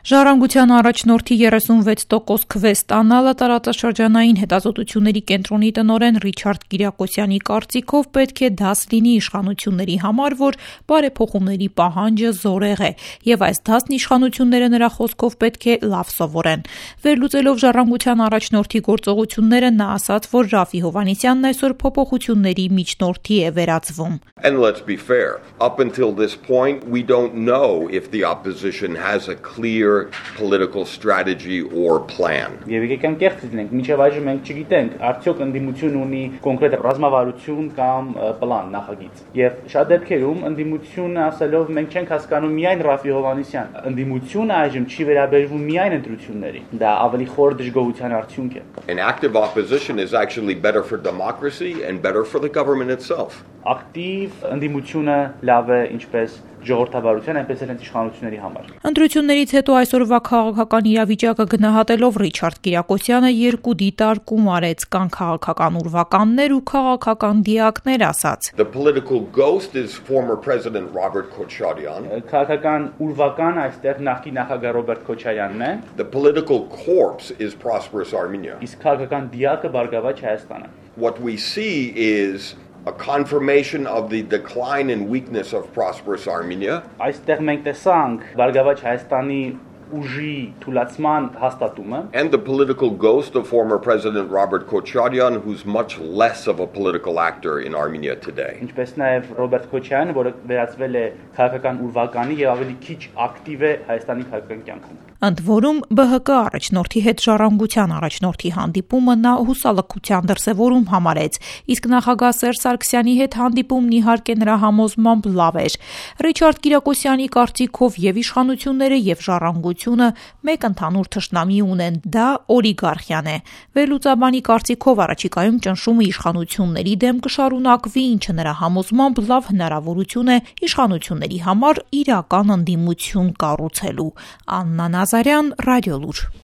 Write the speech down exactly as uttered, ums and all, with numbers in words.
Ժառանգության առաջնորդի երեսունվեց տոկոս քվես ստանալը տարածաշրջանային հետազոտությունների կենտրոնի տնօրեն Ռիչարդ Կիրակոսյանի կարծիքով պետք է դաս լինի իշխանությունների համար, որ բարեփոխումների պահանջը զորեղ է, եւ այս դասն իշխանությունները նրա խոսքով պետք է լավ սովորեն։ Վերլուծելով ժառանգության առաջնորդի գործողությունները նա ասաց, որ Ռաֆի Հովհաննիսյանն այսօր փոփոխությունների միջնորդի է վերածվում։ And let's be fair, up until this point we don't know if the opposition has a clear political strategy or plan. Եվ եկեք կեղծ լինենք, մինչև այժմ մենք չգիտենք, արդյոք ընդդիմություն ունի կոնկրետ ռազմավարություն կամ պլան, նախագիծ։ Եվ շատ դեպքերում ընդդիմությունը ասելով մենք չենք հասկանում միայն Ռաֆի Հովհաննիսյան, ընդդիմությունը այժմ չի վերաբերվում միայն ընտրություններին։ Դա ավելի խոր դժգոհության արդյունք է։ An active opposition is actually better for democracy and better for the government itself. Ակտիվ ընդդիմությունը լավ է ինչպես ժողովրդավարության, այնպես էլ իշխանությունների համար։ Ընտրություններից հետո այսօրվա քաղաքական իրավիճակը գնահատելով Ռիչարդ Կիրակոսյանը երկու դիտարկում արեց, կան քաղաքական ուրվականներ ու քաղաքական դիակներ, ասաց. The political ghost is former President Robert Kocharian. Քաղաքական ուրվական այստեղ նախկին նախագահ Ռոբերտ Քոչարյանն է։ The political corpse is Prosperous Armenia. Իսկ քաղաքական դիակը Բարգավաճ Հայաստանը։ What we see is a confirmation of the decline and weakness of Prosperous Armenia. Այստեղ մենք տեսանք Բարգավաճ Հայաստանի ուժի թուլացման հաստատումը. And the political ghost of former President Robert Kocharian, who's much less of a political actor in Armenia today. Ինչպես նաև Ռոբերտ Քոչարյանը, որը վերածվել է քաղաքական ուրվականի եւ ավելի քիչ ակտիվ է Հայաստանի քաղաքական կյանքում։ Ընդ որում Բ Հ Կ առաջնորդի հետ ժառանգության առաջնորդի հանդիպումը նա հուսալքության դրսևորում համարեց, իսկ նախագահ Սերժ Սարգսյանի հետ հանդիպումն իհարկե նրա համոզմամբ լավ էր։ Ռիչարդ Կիրակոսյանի կարծիքով եւ իշխանությունները եւ ժառանգությունը մեկ ընդհանուր թշնամի ունեն, դա օլիգարխիան է։ Վերլուծաբանի կարծիքով առաջիկայում ճնշումը իշխանությունների դեմ կշարունակվի, ինչը նրա համոզմամբ լավ հնարավորություն է իշխանությունների համար իրական ընդդիմություն կառուցելու։ Աննա Նազարյան, Ռադիոլուր։